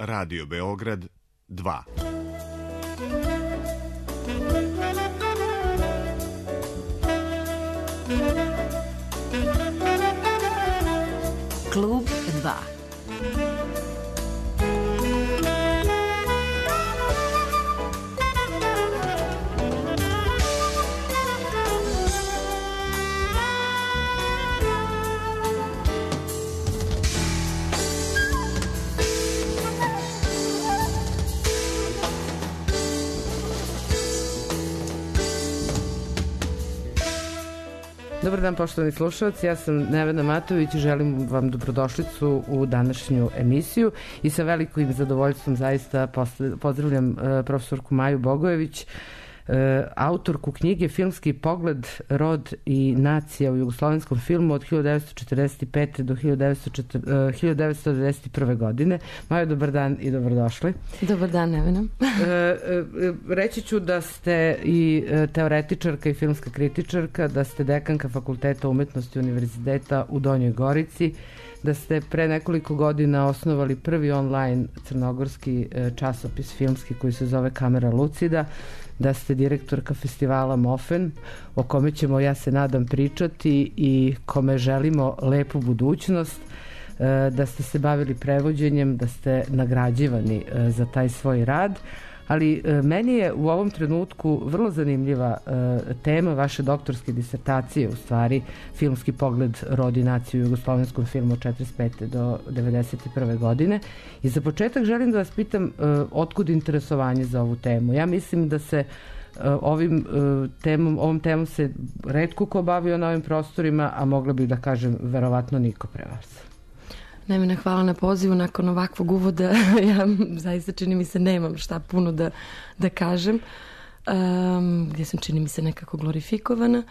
Radio Beograd 2. Klub 2. Dobar dan, poštovani slušalci, ja sam Nevena Matović i želim vam dobrodošlicu u današnju emisiju i sa velikim zadovoljstvom zaista pozdravljam profesorku Maju Bogojević, autorku knjige Filmski pogled, rod i nacija u jugoslovenskom filmu od 1945. do 1991. godine. Majo, dobar dan i dobrodošli. Dobar dan, Nevena. Reći ću da ste i teoretičarka i filmska kritičarka, da ste dekanka Fakulteta umetnosti Univerziteta u Donjoj Gorici, da ste pre nekoliko godina osnovali prvi online crnogorski časopis filmski koji se zove Kamera Lucida, da ste direktorka festivala Mofen, o kome ćemo, ja se nadam, pričati i kome želimo lepu budućnost, da ste se bavili prevođenjem, da ste nagrađivani za taj svoj rad, ali meni je u ovom trenutku vrlo zanimljiva tema vaše doktorske disertacije, u stvari filmski pogled, rod i naciju u jugoslovenskom filmu od 1945. do 1991. godine. I za početak želim da vas pitam otkud interesovanje za ovu temu. Ja mislim da se ovom temom se retko ko bavio na ovim prostorima, a mogla bih da kažem verovatno niko pre vas. Nevena, hvala na pozivu. Nakon ovakvog uvoda ja zaista, čini mi se, nemam šta puno da kažem, gdje sam, čini mi se, nekako glorifikovana.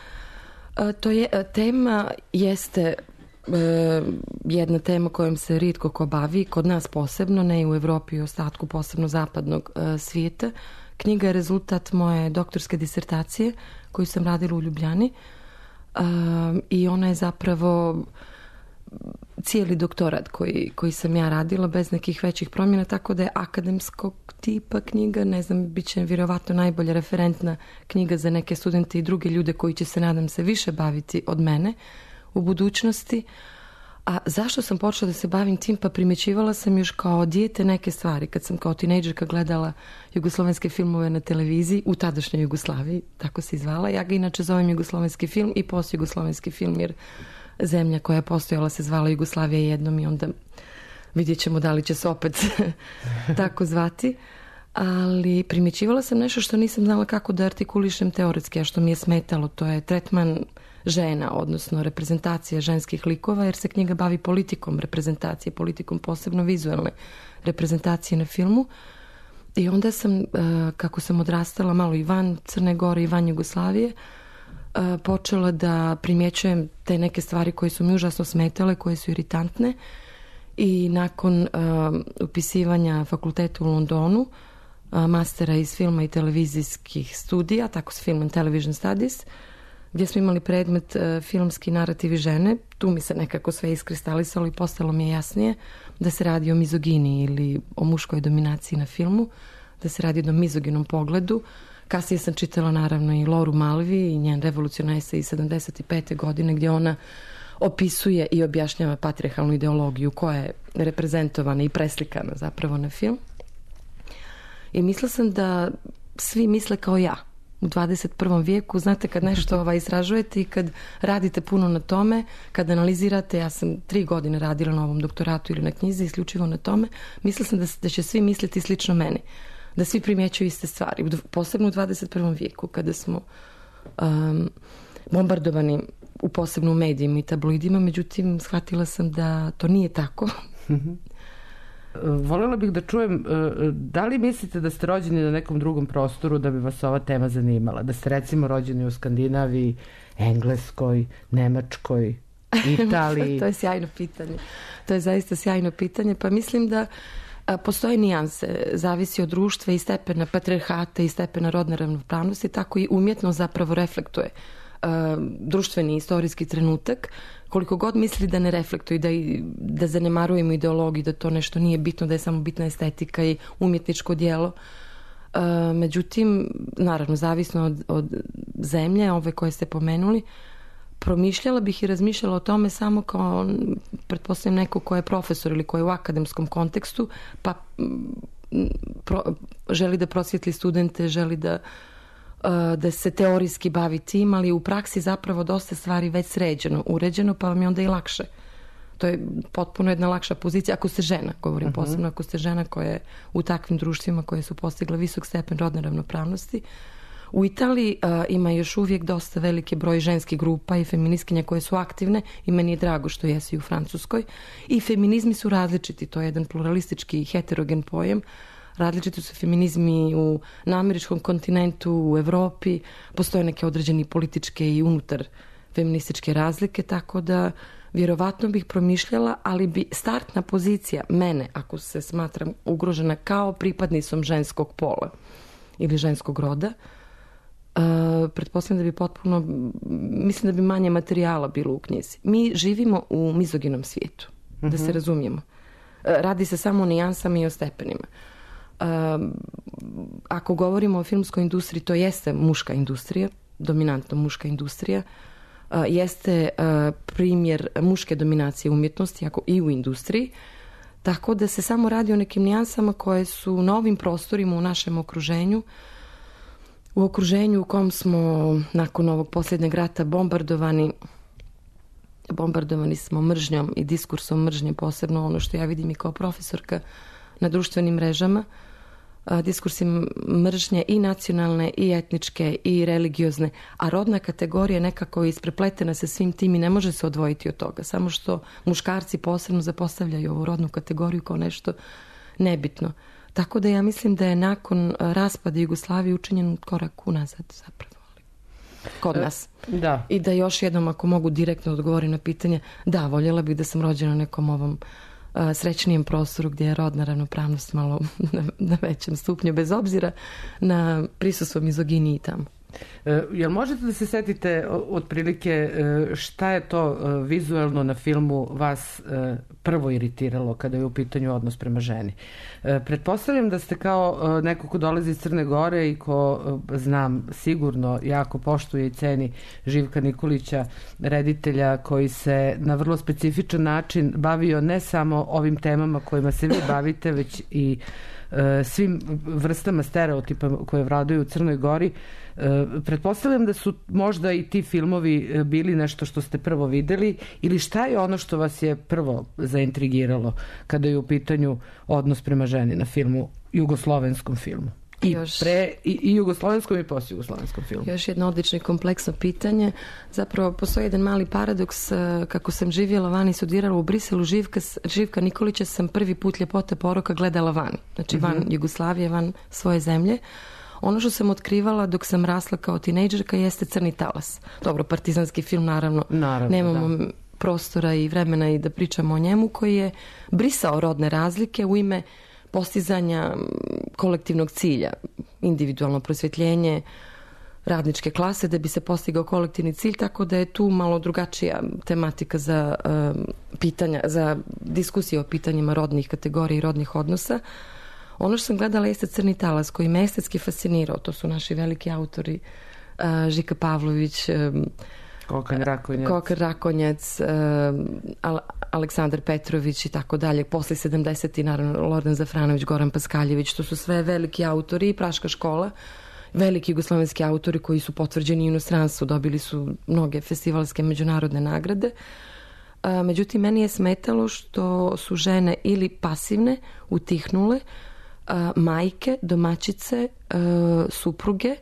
Tema jeste jedna tema kojom se rijetko ko bavi, kod nas posebno, ne i u Evropi i ostatku posebno zapadnog svijeta. Knjiga je rezultat moje doktorske disertacije koju sam radila u Ljubljani i ona je zapravo cijeli doktorat koji sam ja radila bez nekih većih promjena, tako da je akademskog tipa knjiga, ne znam, bit će vjerovatno najbolja referentna knjiga za neke studente i druge ljude koji će se, nadam se, više baviti od mene u budućnosti. A zašto sam počela da se bavim tim? Pa primjećivala sam još kao dijete neke stvari. Kad sam kao tinejdžerka gledala jugoslovenske filmove na televiziji, u tadašnjoj Jugoslaviji, tako se zvala, ja ga inače zovem jugoslovenski film i postjugoslovenski film, jer zemlja koja je postojala se zvala Jugoslavija jednom i onda vidjet ćemo da li će se opet tako zvati. Ali primjećivala sam nešto što nisam znala kako da artikulišem teoretski, a što mi je smetalo, to je tretman žena, odnosno reprezentacija ženskih likova, jer se knjiga bavi politikom reprezentacije, politikom posebno vizualne reprezentacije na filmu. I onda sam, kako sam odrastala malo i van Crne Gore i van Jugoslavije, počela da primjećujem te neke stvari koje su mi užasno smetale, koje su iritantne, i nakon upisivanja fakulteta u Londonu, mastera iz filma i televizijskih studija, tako se Film and Television Studies, gdje smo imali predmet filmski narativi žene, tu mi se nekako sve iskristalisalo i postalo mi je jasnije da se radi o mizogini ili o muškoj dominaciji na filmu, da se radi o mizoginom pogledu. Kasnije sam čitala naravno i Loru Malvi i njen revolucionarni esej iz 75. godine, gdje ona opisuje i objašnjava patrijarhalnu ideologiju koja je reprezentovana i preslikana zapravo na film. I mislila sam da svi misle kao ja u 21. vijeku. Znate, kad nešto istražujete i kad radite puno na tome, kad analizirate, ja sam 3 godine radila na ovom doktoratu ili na knjizi isključivo na tome, mislila sam da će svi misliti slično meni, da svi primjećuju iste stvari, posebno u 21. vijeku kada smo bombardovani u posebno u medijima i tabloidima. Međutim, shvatila sam da to nije tako. Voljela bih da čujem, da li mislite da ste rođeni na nekom drugom prostoru da bi vas ova tema zanimala? Da ste recimo rođeni u Skandinaviji, Engleskoj, Nemačkoj, Italiji? To je sjajno pitanje. To je zaista sjajno pitanje. Pa mislim da postoje nijanse, zavisi od društva i stepena patrijarhata i stepena rodne ravnopravnosti, tako i umjetno zapravo reflektuje društveni istorijski trenutak, koliko god misli da ne reflektuje, da zanemarujemo ideologiju, da to nešto nije bitno, da je samo bitna estetika i umjetničko djelo. Međutim, naravno, zavisno od zemlje, ove koje ste pomenuli, promišljala bih i razmišljala o tome samo kao, pretpostavljam, neko ko je profesor ili ko je u akademskom kontekstu, pa želi da prosvjetli studente, želi da se teorijski bavi tim, ali u praksi zapravo dosta stvari već sređeno, uređeno, pa vam je onda i lakše. To je potpuno jedna lakša pozicija, ako ste žena, govorim posebno, ako ste žena koja je u takvim društvima koje su postigle visok stepen rodne ravnopravnosti. U Italiji ima još uvijek dosta veliki broj ženskih grupa i feministkinja koje su aktivne i meni je drago što jesu i u Francuskoj. I feminizmi su različiti, to je jedan pluralistički heterogen pojam. Različiti su feminizmi na američkom kontinentu, u Evropi, postoje neke određeni političke i unutar feminističke razlike, tako da vjerovatno bih promišljala, ali bi startna pozicija mene, ako se smatram ugrožena kao pripadnicom ženskog pola ili ženskog roda, pretpostavljam da bi potpuno, mislim da bi manje materijala bilo u knjizi. Mi živimo u mizoginom svijetu, da se razumijemo. Radi se samo o nijansama i o stepenima. Ako govorimo o filmskoj industriji, to jeste muška industrija, dominantno muška industrija, jeste primjer muške dominacije umjetnosti i u industriji, tako da se samo radi o nekim nijansama koje su na ovim prostorima u našem okruženju, u okruženju u kom smo nakon ovog posljednjeg rata bombardovani smo mržnjom i diskursom mržnje, posebno ono što ja vidim i kao profesorka na društvenim mrežama, diskursi mržnje i nacionalne i etničke i religiozne, a rodna kategorija je nekako isprepletena sa svim tim i ne može se odvojiti od toga, samo što muškarci posebno zapostavljaju ovu rodnu kategoriju kao nešto nebitno. Tako da ja mislim da je nakon raspada Jugoslavije učinjen korak unazad zapravo kod nas. Da. I da još jednom, ako mogu direktno odgovoriti na pitanje, da, voljela bih da sam rođena na nekom ovom srećnijem prostoru gdje je rodna ravnopravnost malo na većem stupnju, bez obzira na prisustvo mizoginiji tamo. Jel možete da se setite otprilike šta je to vizuelno na filmu vas prvo iritiralo kada je u pitanju odnos prema ženi? Pretpostavljam da ste kao neko ko dolazi iz Crne Gore i ko, znam, sigurno jako poštuje i ceni Živka Nikolića, reditelja koji se na vrlo specifičan način bavio ne samo ovim temama kojima se vi bavite, već i svim vrstama stereotipa koje vladaju u Crnoj Gori. Pretpostavljam da su možda i ti filmovi bili nešto što ste prvo videli, ili šta je ono što vas je prvo zaintrigiralo kada je u pitanju odnos prema ženi na filmu, jugoslovenskom filmu? I jugoslovenskom i postjugoslovenskom filmu. Još jedno odlično i kompleksno pitanje. Zapravo postoji jedan mali paradoks. Kako sam živjela vani i studirala u Briselu, Živka Nikolića sam prvi put Ljepota poroka gledala vani. Znači van Jugoslavije, van svoje zemlje. Ono što sam otkrivala dok sam rasla kao tinejdžerka jeste Crni talas. Dobro, partizanski film, naravno nemamo prostora i vremena i da pričamo o njemu, koji je brisao rodne razlike u ime postizanja kolektivnog cilja, individualno prosvjetljenje radničke klase da bi se postigao kolektivni cilj, tako da je tu malo drugačija tematika za pitanja, za diskusije o pitanjima rodnih kategorija i rodnih odnosa. Ono što sam gledala jeste Crni talas, koji me estetski fascinirao. To su naši veliki autori, Žika Pavlović, Kokar Rakonjac, Aleksandar Petrović i tako dalje. Posle 70. naravno Lordan Zafranović, Goran Paskaljević, to su sve veliki autori i Praška škola, veliki jugoslovenski autori koji su potvrđeni u inostranstvu, dobili su mnoge festivalske međunarodne nagrade. Međutim, meni je smetalo što su žene ili pasivne, utihnule, majke, domaćice, supruge,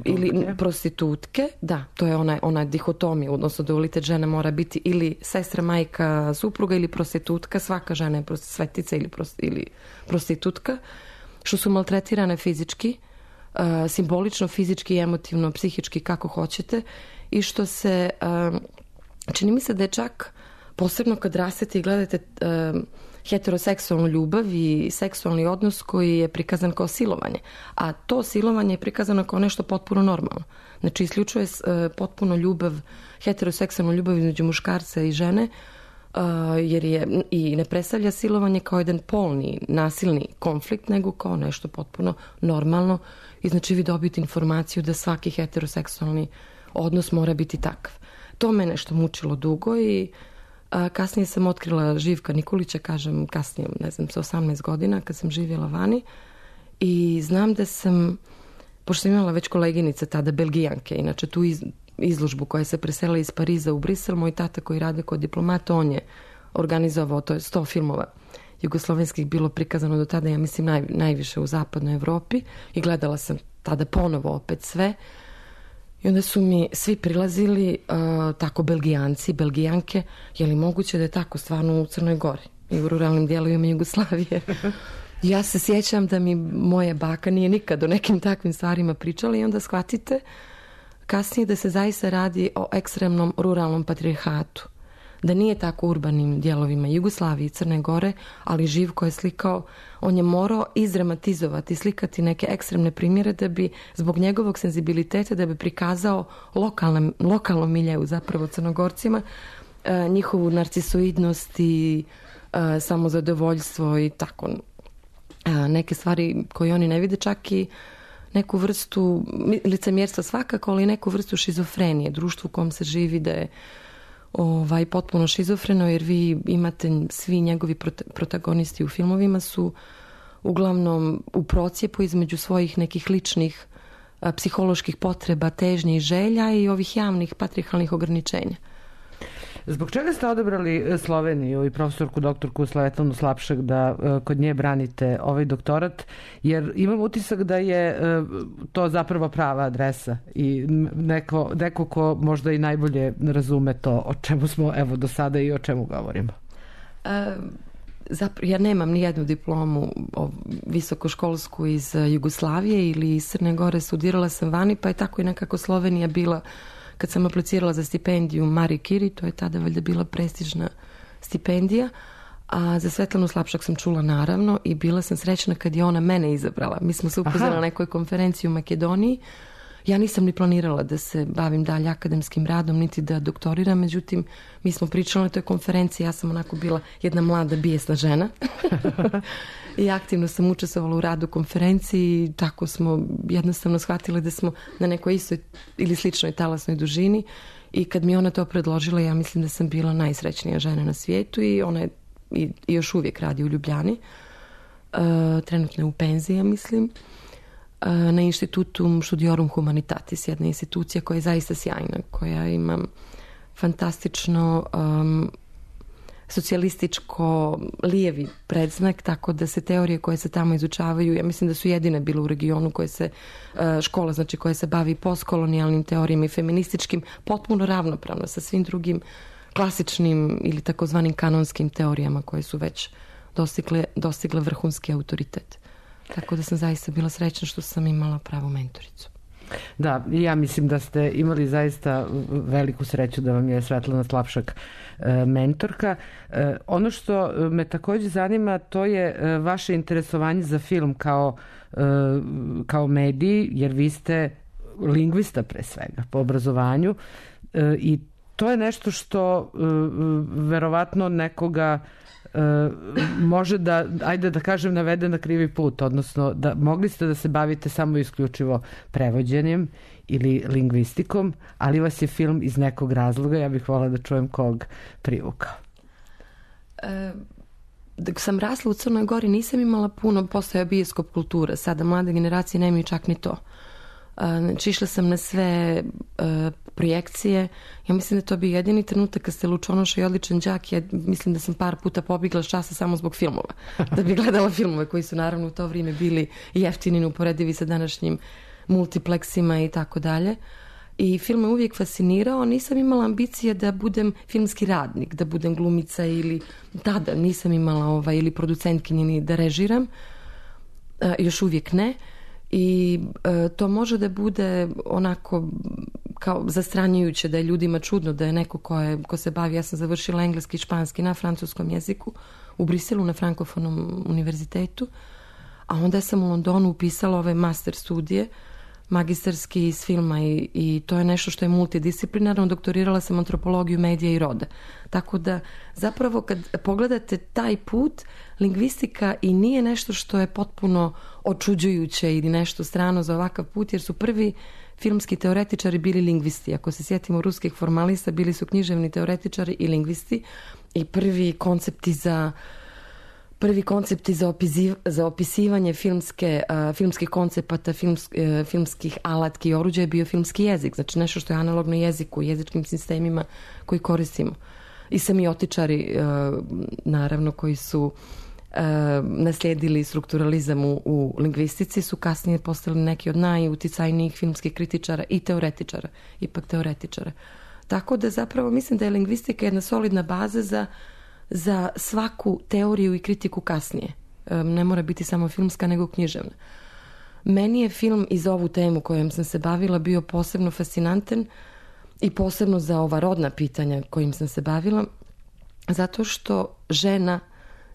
ili prostitutke, da, to je ona dihotomija, odnosno dualitet žene mora biti ili sestra, majka, supruga ili prostitutka, svaka žena je svetica ili prostitutka, što su maltretirane fizički, simbolično, fizički, emotivno, psihički, kako hoćete, i što se čini mi se da je čak posebno kad rastete i gledate heteroseksualnu ljubav i seksualni odnos koji je prikazan kao silovanje. A to silovanje je prikazano kao nešto potpuno normalno. Znači, isključuje potpuno ljubav, heteroseksualnu ljubav između muškarca i žene, jer je i ne predstavlja silovanje kao jedan polni, nasilni konflikt, nego kao nešto potpuno normalno. I znači vi dobijete informaciju da svaki heteroseksualni odnos mora biti takav. To me nešto mučilo dugo i kasnije sam otkrila Živka Nikolića, kažem kasnije, ne znam, sa 18 godina kad sam živjela vani i znam da sam, pošto sam imala već koleginice tada Belgijanke, inače tu izložbu koja se preselila iz Pariza u Brisel, moj tata koji rade kod diplomata, on je organizovao, to je 100 filmova jugoslovenskih bilo prikazano do tada, ja mislim najviše u zapadnoj Evropi i gledala sam tada ponovo opet sve i onda su mi svi prilazili tako Belgijanci, Belgijanke, je li moguće da je tako stvarno u Crnoj Gori i u ruralnim dijelovima Jugoslavije. Ja se sjećam da mi moja baka nije nikad o nekim takvim stvarima pričala i onda shvatite kasnije da se zaista radi o ekstremnom ruralnom patrijarhatu. Da nije tako u urbanim dijelovima Jugoslavije i Crne Gore, ali Živko je slikao, on je morao izdramatizovati, slikati neke ekstremne primjere da bi, zbog njegovog senzibiliteta, da bi prikazao lokalnom miljeu, zapravo Crnogorcima, njihovu narcisoidnost i samozadovoljstvo i tako. Neke stvari koje oni ne vide, čak i neku vrstu licemjerstva svakako, ali neku vrstu šizofrenije. Društvu u kom se živi da je potpuno šizofreno, jer vi imate, svi njegovi protagonisti u filmovima su uglavnom u procijepu između svojih nekih ličnih psiholoških potreba, težnji i želja i ovih javnih patrijarhalnih ograničenja. Zbog čega ste odabrali Sloveniju i profesorku doktorku Slavetlanu Slapšak da kod nje branite ovaj doktorat? Jer imam utisak da je to zapravo prava adresa i neko ko možda i najbolje razume to o čemu smo evo do sada i o čemu govorimo. Ja nemam ni jednu diplomu visokoškolsku iz Jugoslavije ili iz Crne Gore, studirala sam vani, pa je tako i nekako Slovenija bila. Kad sam aplicirala za stipendiju Marie Curie, to je tada valjda bila prestižna stipendija, a za Svetlanu Slapšak sam čula naravno i bila sam srećna kad je ona mene izabrala. Mi smo se upoznali na nekoj konferenciji u Makedoniji. Ja nisam ni planirala da se bavim dalje akademskim radom, niti da doktoriram, međutim, mi smo pričali na toj konferenciji, ja sam onako bila jedna mlada bijesna žena i aktivno sam učestvovala u radu konferenciji i tako smo jednostavno shvatili da smo na nekoj istoj ili sličnoj talasnoj dužini i kad mi ona to predložila, ja mislim da sam bila najsrećnija žena na svijetu i ona je i još uvijek radi u Ljubljani, trenutno je u penziji, ja mislim, na Institutum Studiorum Humanitatis, jedna institucija koja je zaista sjajna, koja ima fantastično socijalističko lijevi predznak, tako da se teorije koje se tamo izučavaju, ja mislim da su jedine bile u regionu koje se škola, znači koja se bavi postkolonijalnim teorijama i feminističkim, potpuno ravnopravno sa svim drugim klasičnim ili takozvanim kanonskim teorijama koje su već dostigle vrhunski autoritet. Tako da sam zaista bila srećna što sam imala pravu mentoricu. Da, ja mislim da ste imali zaista veliku sreću da vam je Svetlana Slapšak mentorka. Ono što me također zanima, to je vaše interesovanje za film kao medij, jer vi ste lingvista pre svega po obrazovanju i to je nešto što verovatno nekoga može da, ajde da kažem, navede na krivi put, odnosno da mogli ste da se bavite samo isključivo prevođenjem ili lingvistikom, ali vas je film iz nekog razloga, ja bih voljela da čujem kog, privukao. Dok sam rasla u Crnoj Gori nisam imala puno, postoja bioskop kultura, sada mlade generacije nemaju čak ni to. Znači, išla sam na sve projekcije. Ja mislim da to bi jedini trenutak kad ste lučonoša i odličan đak. Ja mislim da sam par puta pobjegla s časa samo zbog filmova. Da bi gledala filmove koji su naravno u to vrijeme bili jeftini, neuporedivi sa današnjim multipleksima i tako dalje. I film me uvijek fascinirao. Nisam imala ambicije da budem filmski radnik, da budem glumica ili tada nisam imala ili producentkinje ni da režiram. Još uvijek ne. I to može da bude onako kao zastranjujuće, da je ljudima čudno da je neko ko se bavi, ja sam završila engleski i španski na francuskom jeziku u Briselu na Frankofonom univerzitetu, a onda sam u Londonu upisala ove master studije, magistarski iz filma i to je nešto što je multidisciplinarno. Doktorirala sam antropologiju medija i roda. Tako da zapravo kad pogledate taj put, lingvistika i nije nešto što je potpuno očuđujuće ili nešto strano za ovakav put, jer su prvi filmski teoretičari bili lingvisti. Ako se sjetimo ruskih formalista, bili su književni teoretičari i lingvisti i prvi koncepti za opisivanje filmskih koncepata, filmskih alatki i oruđa je bio filmski jezik. Znači nešto što je analogno jeziku, jezičkim sistemima koji koristimo. I semiotičari, naravno, koji su naslijedili strukturalizam u lingvistici, su kasnije postali neki od najuticajnijih filmskih kritičara i teoretičara, ipak teoretičara. Tako da zapravo mislim da je lingvistika jedna solidna baza za svaku teoriju i kritiku kasnije. Ne mora biti samo filmska, nego književna. Meni je film i za ovu temu kojom sam se bavila bio posebno fascinantan i posebno za ova rodna pitanja kojim sam se bavila, zato što žena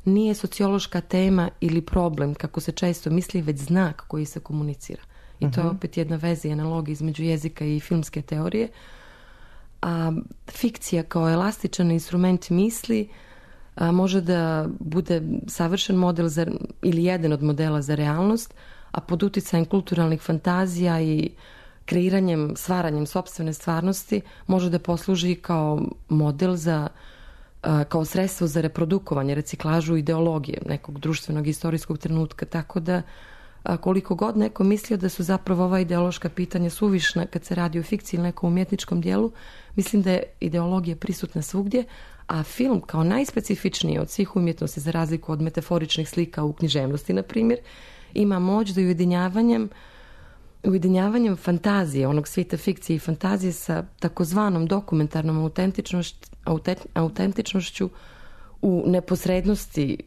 nije sociološka tema ili problem, kako se često misli, već znak koji se komunicira. I to je opet jedna veza i analogija između jezika i filmske teorije. A fikcija kao elastičan instrument misli može da bude savršen model ili jedan od modela za realnost, a pod uticajem kulturalnih fantazija i kreiranjem, stvaranjem sopstvene stvarnosti može da posluži kao model kao sredstvo za reprodukovanje, reciklažu ideologije nekog društvenog i istorijskog trenutka. Tako da koliko god neko mislio da su zapravo ova ideološka pitanja suvišna kad se radi o fikciji ili nekom umjetničkom dijelu, mislim da je ideologija prisutna svugdje, a film kao najspecifičniji od svih umjetnosti, za razliku od metaforičnih slika u književnosti, na primjer, ima moć da ujedinjavanjem fantazije, onog svijeta fikcije i fantazije sa takozvanom dokumentarnom autentičnošću u neposrednosti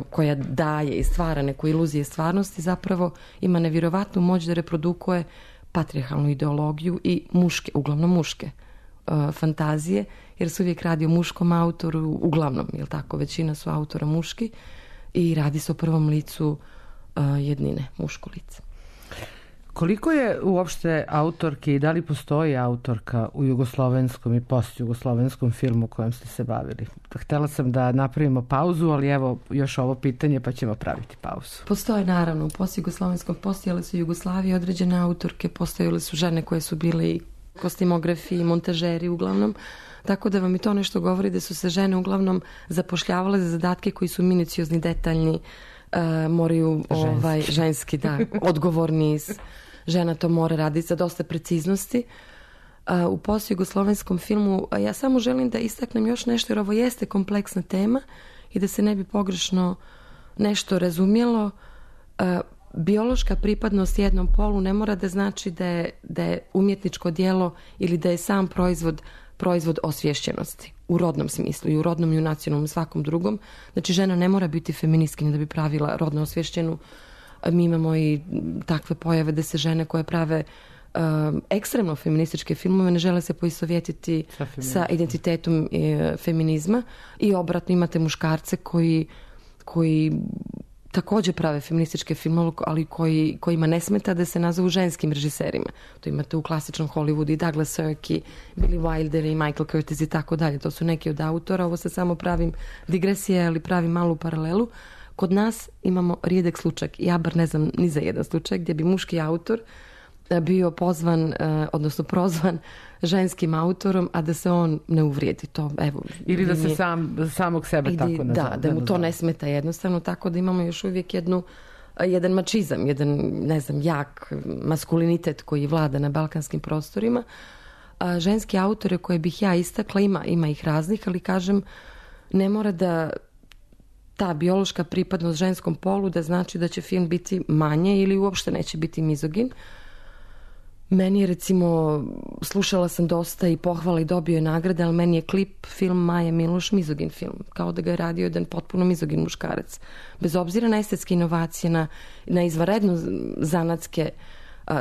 koja daje i stvara neku iluzije stvarnosti, zapravo ima nevjerovatnu moć da reprodukuje patrijarhalnu ideologiju i uglavnom muške fantazije, jer se uvijek radi o muškom autoru, uglavnom, jel tako, većina su autora muški i radi se o prvom licu jednine, muško lice. Koliko je uopšte autorke i da li postoji autorka u jugoslovenskom i postjugoslovenskom filmu kojem ste se bavili? Htjela sam da napravimo pauzu, ali evo još ovo pitanje pa ćemo praviti pauzu. Postoje naravno, u postjugoslovenskom postojale su Jugoslavije određene autorke, postojale su žene koje su bile i kostimografi i montažeri uglavnom, tako da vam i to nešto govori da su se žene uglavnom zapošljavale za zadatke koji su minuciozni, detaljni, moraju ženski odgovorni, žena to mora raditi sa dosta preciznosti. U postjugoslovenskom filmu ja samo želim da istaknem još nešto, jer ovo jeste kompleksna tema i da se ne bi pogrešno nešto razumjelo. Biološka pripadnost jednom polu ne mora da znači da je umjetničko djelo ili da je sam proizvod osviješćenosti u rodnom smislu, i u rodnom i u nacionalnom, svakom drugom. Znači žena ne mora biti feministkinja da bi pravila rodno osviješćenu. Mi imamo i takve pojave da se žene koje prave ekstremno feminističke filmove ne žele se poistovjetiti sa identitetom feminizma, i obratno imate muškarce koji također prave feminističke filmove, ali kojima ne smeta da se nazovu ženskim režiserima. To imate u klasičnom Hollywoodu i Douglas Sirk i Billy Wilder i Michael Curtiz i tako dalje. To su neki od autora. Ovo se samo pravim digresije, ali pravim malu paralelu. Kod nas imamo rijedak slučaj, ja bar ne znam ni za jedan slučaj, gdje bi muški autor bio pozvan, odnosno prozvan ženskim autorom, a da se on ne uvrijedi. To, evo, ili da se samog sebe tako nazove. Da mu to ne smeta jednostavno, tako da imamo još uvijek jedan mačizam, jak maskulinitet koji vlada na balkanskim prostorima. Ženski autore koje bih ja istakla, ima ih raznih, ali kažem, ne mora da ta biološka pripadnost ženskom polu da znači da će film biti manje ili uopšte neće biti mizogin. Meni je, recimo, slušala sam dosta i pohvala i dobio je nagrade, ali meni je klip film Maje Miloš mizogin film, kao da ga je radio jedan potpuno mizogin muškarac. Bez obzira na estetske inovacije, na izvanredno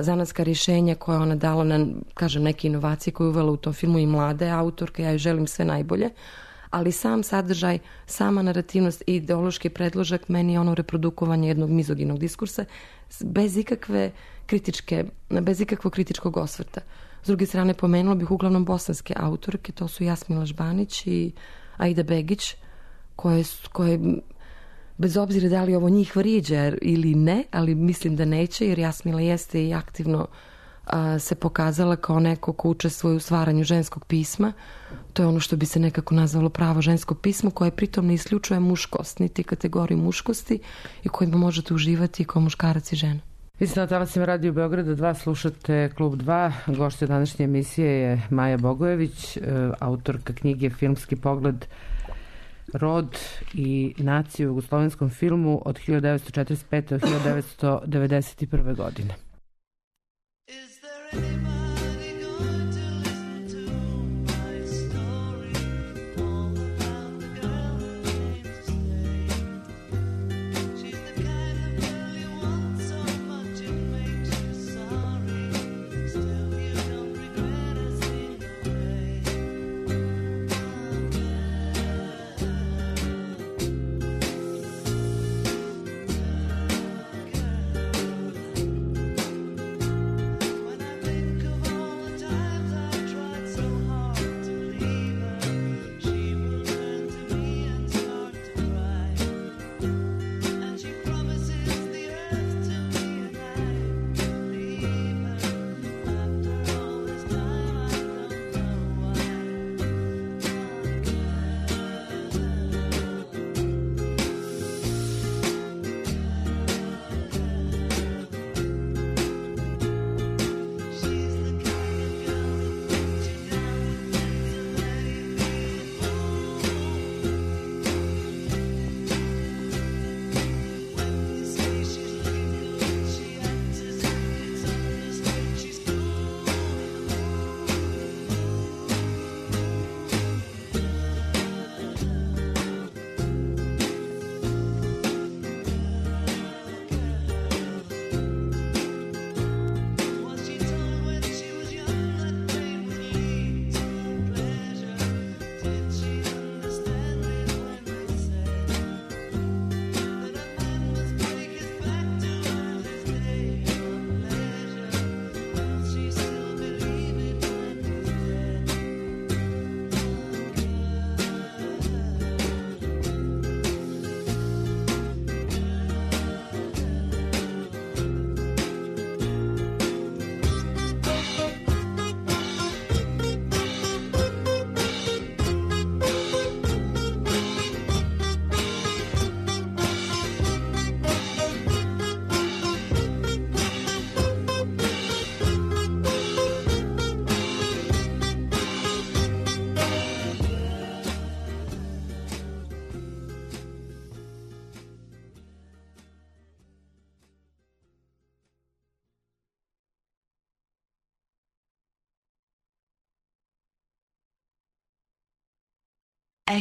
zanatska rješenja koje ona dala, na, kažem, neke inovacije koje je uvela u tom filmu, i mlade autorke, ja joj želim sve najbolje, ali sam sadržaj, sama narativnost i ideološki predložak meni je ono reprodukovanje jednog mizoginog diskursa bez ikakvog kritičkog osvrta. S druge strane, pomenula bih uglavnom bosanske autorke, to su Jasmila Žbanić i Aida Begić, koje bez obzira da li ovo njih vrijeđa ili ne, ali mislim da neće, jer Jasmila jeste i aktivno se pokazala kao neko ko učestvuje u stvaranju ženskog pisma. To je ono što bi se nekako nazvalo pravo žensko pismo, koje pritom ne isključuje muškost, niti kategoriju muškosti i kojima možete uživati kao muškarac i žena. Vi ste na talasima Radio Beograda 2, slušate Klub 2. Gošća današnje emisije je Maja Bogojević, autorka knjige Filmski pogled, rod i naciju u jugoslovenskom filmu od 1945. do 1991. godine.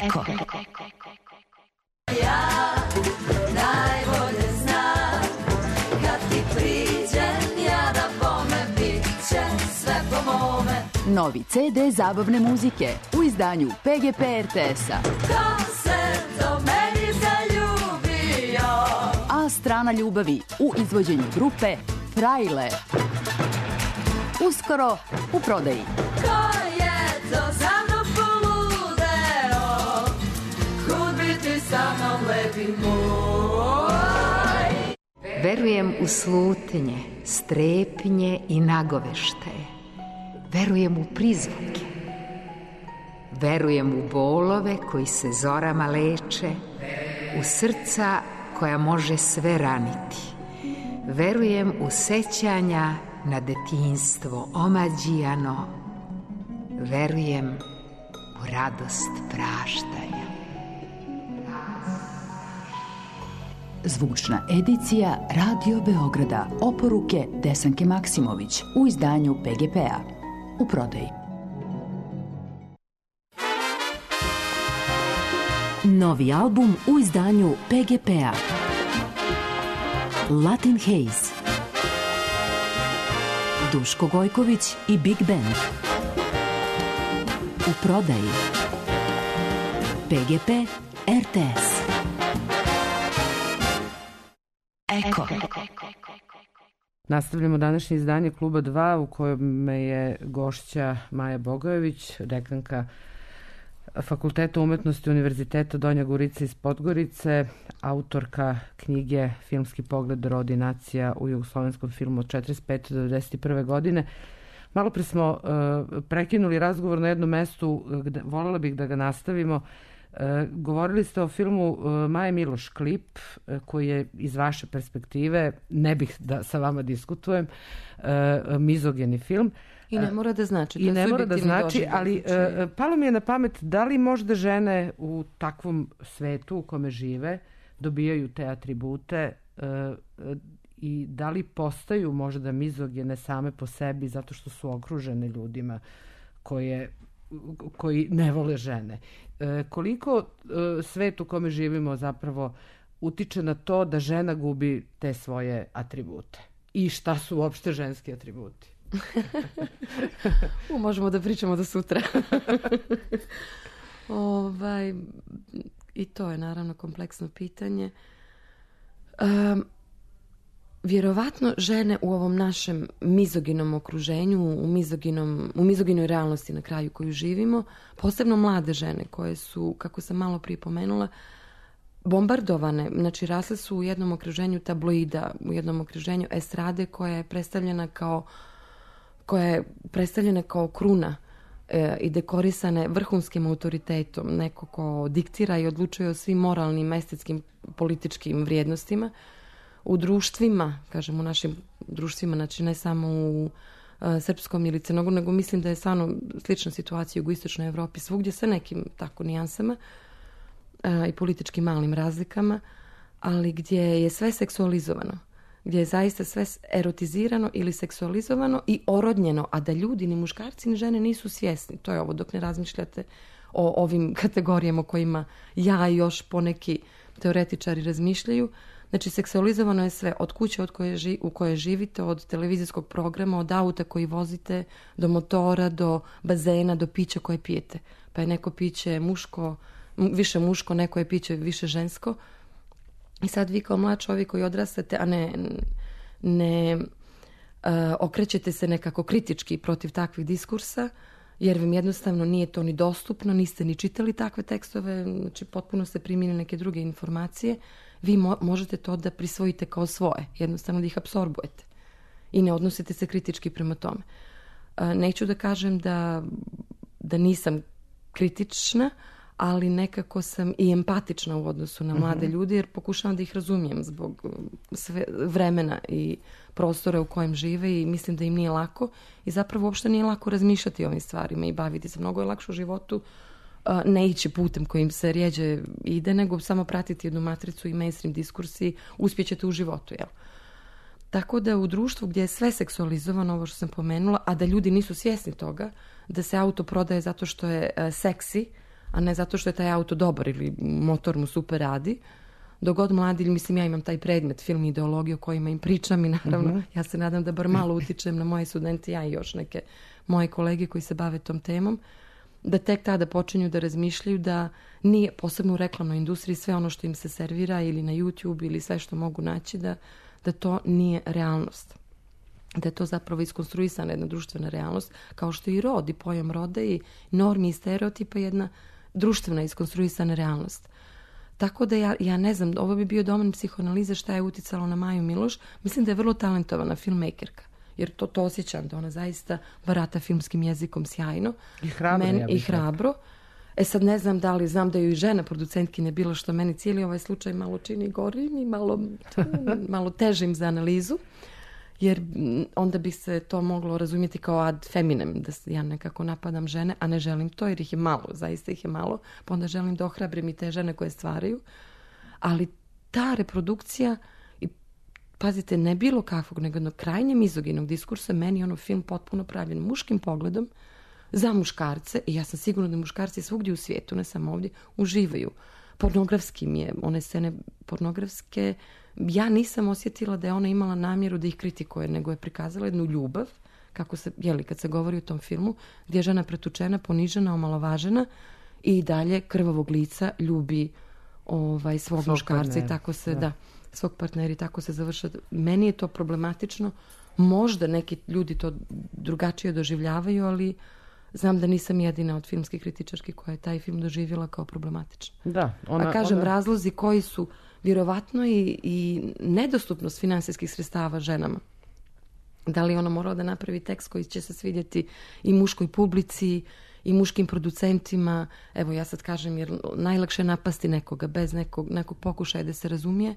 Eko. Ja najbolje znam kad ti priđem ja da bome bit će sve po mome. Novi CD zabavne muzike u izdanju PGP RTS-a. Ko se do meni zaljubio? A strana ljubavi u izvođenju grupe Frajle. Uskoro u prodaji. Ko je to za mnom poludeo? Kud bi ti sa mnom lepi moj? Verujem u slutnje, strepnje i nagoveštaje. Verujem u prizvuke. Verujem u bolove koji se zorama leče, u srca koja može sve raniti. Verujem u sećanja na detinjstvo omađijano. Verujem u radost praštanja. Zvučna edicija Radio Beograda. Oporuke Desanke Maksimović u izdanju PGP-a. U prodaji. Novi album u izdanju PGP-a. Latin Haze. Duško Gojković i Big Band. U prodaji. PGP RTS. Eko. Nastavljamo današnje izdanje Kluba 2 u kojem je gošća Maja Bogojević, dekanka Fakulteta umetnosti Univerziteta Donja Gorica iz Podgorice, autorka knjige Filmski pogled rod i nacija u jugoslovenskom filmu od 45. do 91. godine. Malo pre smo prekinuli razgovor na jednom mestu, voljela bih da ga nastavimo. Govorili ste o filmu Maje Miloš Klip, koji je iz vaše perspektive, ne bih da sa vama diskutujem, mizogeni film. I ne mora da znači. I ne mora da znači, ali palo mi je na pamet da li možda žene u takvom svetu u kome žive dobijaju te atribute i da li postaju možda mizogene same po sebi zato što su okružene ljudima koji ne vole žene. Koliko svet u kome živimo zapravo utiče na to da žena gubi te svoje atribute? I šta su uopšte ženski atributi? Možemo da pričamo do sutra. I to je naravno kompleksno pitanje. Vjerovatno žene u ovom našem mizoginom okruženju, u mizoginoj realnosti na kraju koju živimo, posebno mlade žene koje su, kako sam malo prije pomenula, bombardovane, znači rasle su u jednom okruženju tabloida, u jednom okruženju estrade koja je predstavljena kao kruna i dekorisane vrhunskim autoritetom, neko ko diktira i odlučuje o svim moralnim, estetskim, političkim vrijednostima. U društvima, kažem u našim društvima, znači ne samo u srpskom ili crnogorskom, nego mislim da je stvarno slična situacija u jugoistočnoj Evropi, svugdje sa nekim tako nijansama i političkim malim razlikama, ali gdje je sve seksualizovano, gdje je zaista sve erotizirano ili seksualizovano i orodnjeno, a da ljudi, ni muškarci, ni žene nisu svjesni. To je ovo dok ne razmišljate o ovim kategorijama o kojima ja i još poneki teoretičari razmišljaju. Znači, seksualizovano je sve, od kuće u kojoj živite, od televizijskog programa, od auta koji vozite, do motora, do bazena, do pića koje pijete. Pa je neko piće više muško, neko je piće više žensko. I sad vi kao mlad čovjek koji odrastate, a ne okrećete se nekako kritički protiv takvih diskursa, jer vam jednostavno nije to ni dostupno, niste ni čitali takve tekstove, znači potpuno ste primili neke druge informacije, vi možete to da prisvojite kao svoje, jednostavno da ih apsorbujete i ne odnosite se kritički prema tome. Neću da kažem da nisam kritična, ali nekako sam i empatična u odnosu na mlade ljude, jer pokušavam da ih razumijem zbog vremena i prostora u kojem žive i mislim da im nije lako i zapravo uopšte nije lako razmišljati o ovim stvarima i baviti se. Mnogo je lakše u životu ne ići putem kojim se rijeđe ide, nego samo pratiti jednu matricu i mainstream diskursi, uspjećete u životu, jel? Tako da u društvu gdje je sve seksualizovano, ovo što sam pomenula, a da ljudi nisu svjesni toga, da se auto prodaje zato što je seksi, a ne zato što je taj auto dobar ili motor mu super radi, dok god mladi, mislim ja imam taj predmet film i ideologiju o kojima im pričam i naravno ja se nadam da bar malo utičem na moje studente, ja i još neke moje kolege koji se bave tom temom, da tek tada počinju da razmišljaju da nije, posebno u reklamnoj industriji, sve ono što im se servira ili na YouTube ili sve što mogu naći, da to nije realnost. Da je to zapravo iskonstruisana jedna društvena realnost, kao što i rod i pojam roda i normi i stereotipa jedna društvena iskonstruisana realnost. Tako da ja ne znam, ovo bi bio domen psihoanalize šta je uticalo na Maju Miloš. Mislim da je vrlo talentovana filmmakerka, jer to osjećam da ona zaista barata filmskim jezikom sjajno. I hrabro. Sad ne znam da li, znam da ju i žena producentkinje bilo, što meni cijeli ovaj slučaj malo čini gorim i malo težim za analizu, jer onda bi se to moglo razumjeti kao ad feminem, da ja nekako napadam žene, a ne želim to jer ih je malo, zaista ih je malo, pa onda želim da ohrabrim i te žene koje stvaraju. Ali ta reprodukcija, i pazite, ne bilo kakvog, nego jednog krajnje mizoginog diskursa, meni je film potpuno pravljen muškim pogledom za muškarce, i ja sam sigurna da muškarci svugdje u svijetu, ne samo ovdje, uživaju. Pornografskim je, one scene pornografske, ja nisam osjetila da je ona imala namjeru da ih kritikuje, nego je prikazala jednu ljubav, kako se, kad se govori o tom filmu, gdje je žena pretučena, ponižena, omalovažena i dalje krvavog lica ljubi svog muškarca partnera. i tako se, svog partnera i tako se završa. Meni je to problematično. Možda neki ljudi to drugačije doživljavaju, ali znam da nisam jedina od filmskih kritičarki koja je taj film doživjela kao problematičan. Da, razlozi koji su vjerovatno i nedostupnost finansijskih sredstava ženama. Da li ona morala da napravi tekst koji će se svidjeti i muškoj publici i muškim producentima. Evo ja sad kažem, jer najlakše je napasti nekoga bez nekog pokušaja da se razumije.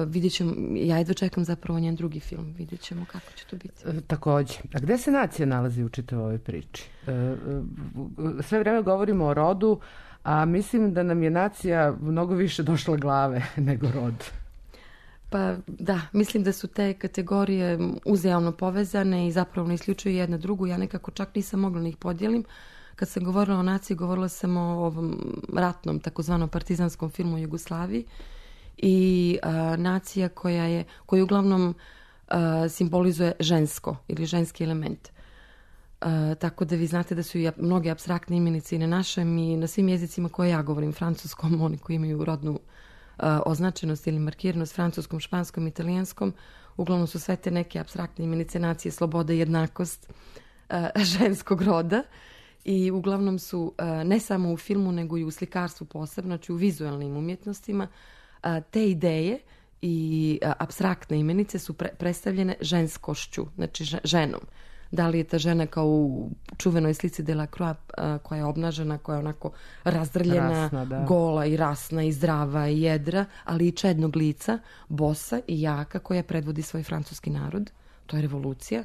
Vidjet ćemo, ja jedva čekam zapravo njen drugi film, vidjet ćemo kako će to biti. Također, a gde se nacija nalazi u čitavoj ovoj priči? Sve vrijeme govorimo o rodu, a mislim da nam je nacija mnogo više došla glave nego rod. Pa da, mislim da su te kategorije uzajamno povezane i zapravo ne isključuju jedna drugu. Ja nekako čak nisam mogla da ih podijelim. Kad sam govorila o naciji, govorila sam o ovom ratnom, takozvanom partizanskom filmu u Jugoslaviji i nacija koja uglavnom simbolizuje žensko ili ženski element. Tako da vi znate da su i mnoge apstraktne imenice i na našem i na svim jezicima koje ja govorim, francuskom, oni koji imaju rodnu označenost ili markiranost, francuskom, španskom, italijanskom, uglavnom su sve te neke apstraktne imenice nacije, sloboda i jednakost ženskog roda i uglavnom su ne samo u filmu nego i u slikarstvu posebno, znači u vizualnim umjetnostima, te ideje i apstraktne imenice su predstavljene ženskošću, znači ženom. Da li je ta žena kao u čuvenoj slici Delacroix koja je obnažena, koja je onako razdrljena, gola i rasna i zdrava i jedra, ali i čednog lica, bosa i jaka koja predvodi svoj francuski narod. To je revolucija.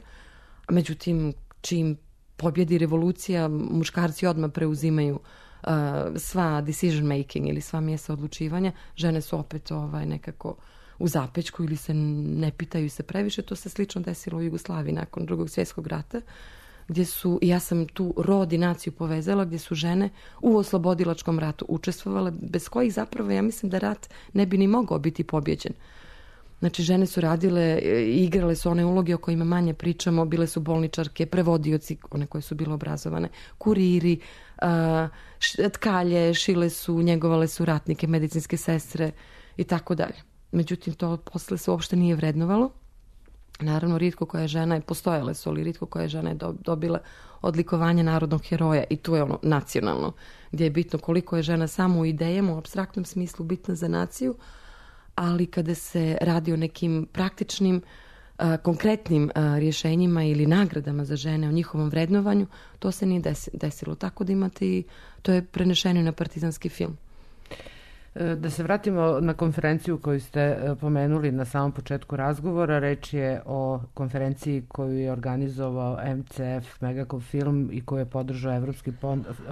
Međutim, čim pobjedi revolucija, muškarci odmah preuzimaju sva decision making ili sva mjesta odlučivanja. Žene su opet nekako u zapećku ili se ne pitaju se previše. To se slično desilo u Jugoslaviji nakon Drugog svjetskog rata, gdje su, ja sam tu rod i naciju povezala, gdje su žene u oslobodilačkom ratu učestvovale, bez kojih zapravo ja mislim da rat ne bi ni mogao biti pobjeđen. Znači, žene su radile i igrale su one uloge o kojima manje pričamo, bile su bolničarke, prevodioci, one koje su bile obrazovane, kuriri, tkalje, šile su, njegovale su ratnike, medicinske sestre i tako dalje. Međutim, to posle se uopšte nije vrednovalo. Naravno, rijetko koja žena je, postojale su, ali rijetko koja žena je dobila odlikovanje narodnog heroja i tu je ono nacionalno, gdje je bitno koliko je žena samo u idejama, u apstraktnom smislu bitna za naciju, ali kada se radi o nekim praktičnim, konkretnim rješenjima ili nagradama za žene, o njihovom vrednovanju, to se nije desilo. Tako da imate i to je prenešeno na partizanski film. Da se vratimo na konferenciju koju ste pomenuli na samom početku razgovora. Reč je o konferenciji koju je organizovao MCF Megacom Film i koju je podržao Evropski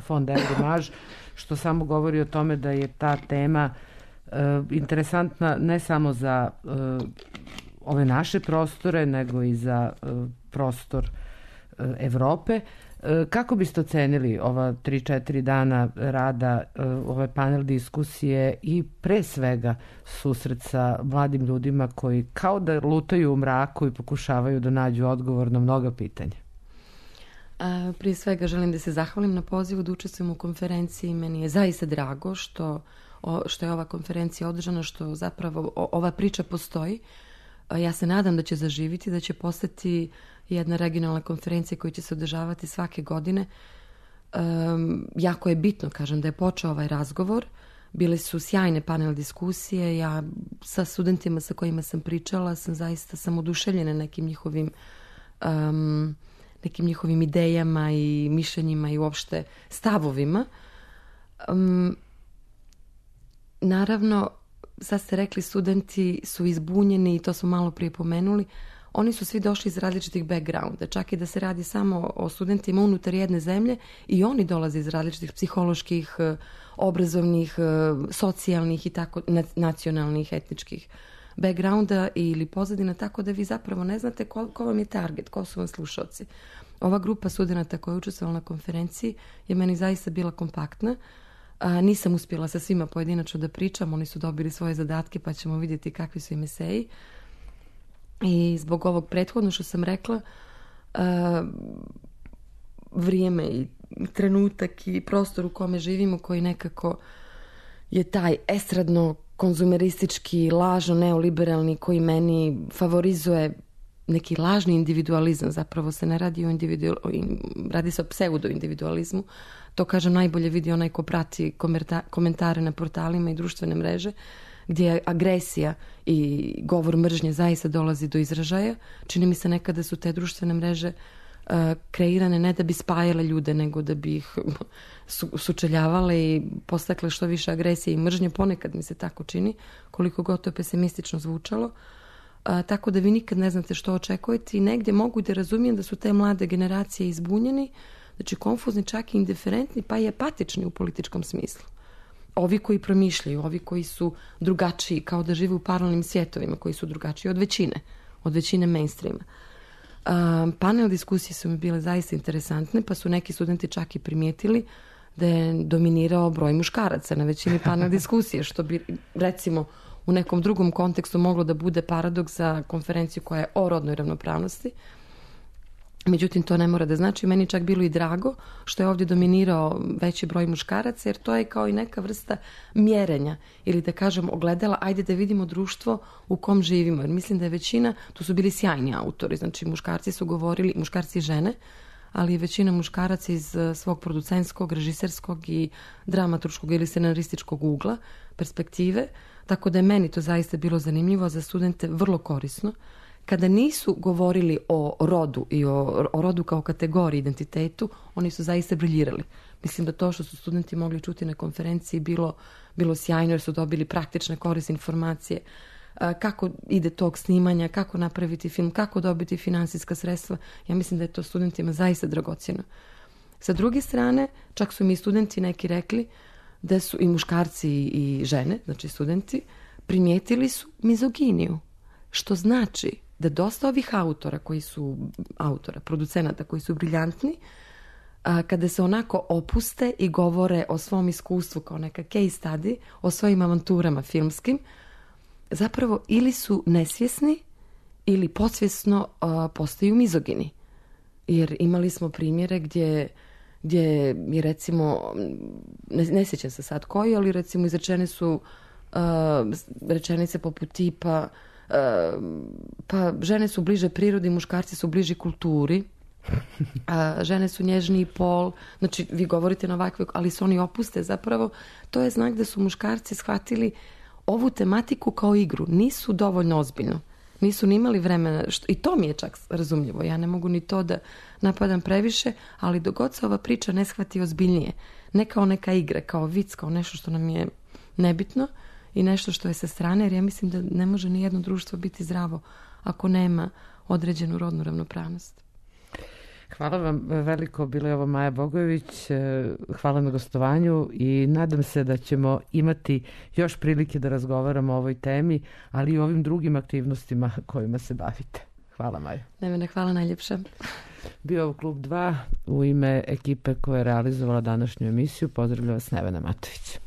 fond Evrimage, što samo govori o tome da je ta tema interesantna ne samo za ove naše prostore, nego i za prostor Evrope. Kako biste ocenili ova 3-4 dana rada, ove panel diskusije i pre svega susret sa mladim ljudima koji kao da lutaju u mraku i pokušavaju da nađu odgovor na mnoga pitanja? Prije svega želim da se zahvalim na pozivu da učestvujem u konferenciji. Meni je zaista drago što je ova konferencija održana, što zapravo ova priča postoji. Ja se nadam da će zaživiti, da će postati jedna regionalna konferencija koja će se održavati svake godine. Jako je bitno, kažem, da je počeo ovaj razgovor. Bile su sjajne panel diskusije. Ja sa studentima sa kojima sam pričala sam oduševljena nekim njihovim idejama i mišljenjima i uopšte stavovima. Naravno, sad ste rekli, studenti su izbunjeni i to smo malo prije pomenuli. Oni su svi došli iz različitih backgrounda, čak i da se radi samo o studentima unutar jedne zemlje i oni dolaze iz različitih psiholoških, obrazovnih, socijalnih i tako nacionalnih, etničkih backgrounda ili pozadina, tako da vi zapravo ne znate ko vam je target, ko su vam slušalci. Ova grupa studenata koja je učestvovala na konferenciji je meni zaista bila kompaktna. Nisam uspjela sa svima pojedinačno da pričam, oni su dobili svoje zadatke pa ćemo vidjeti kakvi su im eseji. I zbog ovog prethodno što sam rekla, vrijeme trenutak i prostor u kome živimo koji nekako je taj estradno konzumeristički, lažno neoliberalni koji meni favorizuje neki lažni individualizam. Zapravo se ne radi radi se o pseudo-individualizmu. To, kažem, najbolje vidi onaj ko prati komentare na portalima i društvene mreže, gdje agresija i govor mržnje zaista dolazi do izražaja. Čini mi se nekada su te društvene mreže kreirane ne da bi spajale ljude, nego da bi ih sučeljavale i postakle što više agresije i mržnje. Ponekad mi se tako čini, koliko god to pesimistično zvučalo. Tako da vi nikad ne znate što očekujete i negdje mogu da razumijem da su te mlade generacije izbunjeni, znači konfuzni, čak i indiferentni, pa i apatični u političkom smislu. Ovi koji promišljaju, ovi koji su drugačiji, kao da žive u paralelnim svjetovima, koji su drugačiji od većine mainstreama. Panel diskusije su mi bile zaista interesantne, pa su neki studenti čak i primijetili da je dominirao broj muškaraca na većini panel diskusije, što bi, recimo, u nekom drugom kontekstu moglo da bude paradoks za konferenciju koja je o rodnoj ravnopravnosti. Međutim, to ne mora da znači. Meni čak bilo i drago što je ovdje dominirao veći broj muškaraca, jer to je kao i neka vrsta mjerenja ili da kažem ogledala, ajde da vidimo društvo u kom živimo. Jer mislim da je većina, tu su bili sjajni autori, znači muškarci su govorili, muškarci i žene, ali i većina muškaraca iz svog producentskog, režiserskog i dramaturškog ili scenarističkog ugla, perspektive, tako da je meni to zaista bilo zanimljivo, za studente vrlo korisno. Kada nisu govorili o rodu i o rodu kao kategoriji, identitetu, oni su zaista briljirali. Mislim da to što su studenti mogli čuti na konferenciji bilo sjajno, jer su dobili praktične korisne informacije kako ide tog snimanja, kako napraviti film, kako dobiti finansijska sredstva. Ja mislim da je to studentima zaista dragocjeno. Sa druge strane, čak su mi studenti neki rekli da su i muškarci i žene, znači studenti, primijetili su mizoginiju, što znači da dosta ovih producenata koji su briljantni, kada se onako opuste i govore o svom iskustvu kao neka case study, o svojim avanturama filmskim, zapravo ili su nesvjesni ili podsvjesno postaju mizogini. Jer imali smo primjere gdje je recimo, ne sjećam se sad koji, ali recimo izrečene su rečenice poput tipa pa žene su bliže prirodi, muškarci su bliži kulturi, žene su nježniji pol, znači vi govorite na ovakve, ali se oni opuste, zapravo to je znak da su muškarci shvatili ovu tematiku kao igru, nisu dovoljno ozbiljno, nisu ni imali vremena, i to mi je čak razumljivo, ja ne mogu ni to da napadam previše, ali dok god se ova priča ne shvati ozbiljnije, ne kao neka igra, kao vic, kao nešto što nam je nebitno i nešto što je sa strane, jer ja mislim da ne može ni jedno društvo biti zdravo ako nema određenu rodnu ravnopravnost. Hvala vam veliko, bila je ovo Maja Bogojević, hvala na gostovanju i nadam se da ćemo imati još prilike da razgovaramo o ovoj temi, ali i o ovim drugim aktivnostima kojima se bavite. Hvala, Maja. Ne, hvala najljepša. Bio ovo Klub 2, u ime ekipe koja je realizovala današnju emisiju, pozdravlja vas Nevena Matović.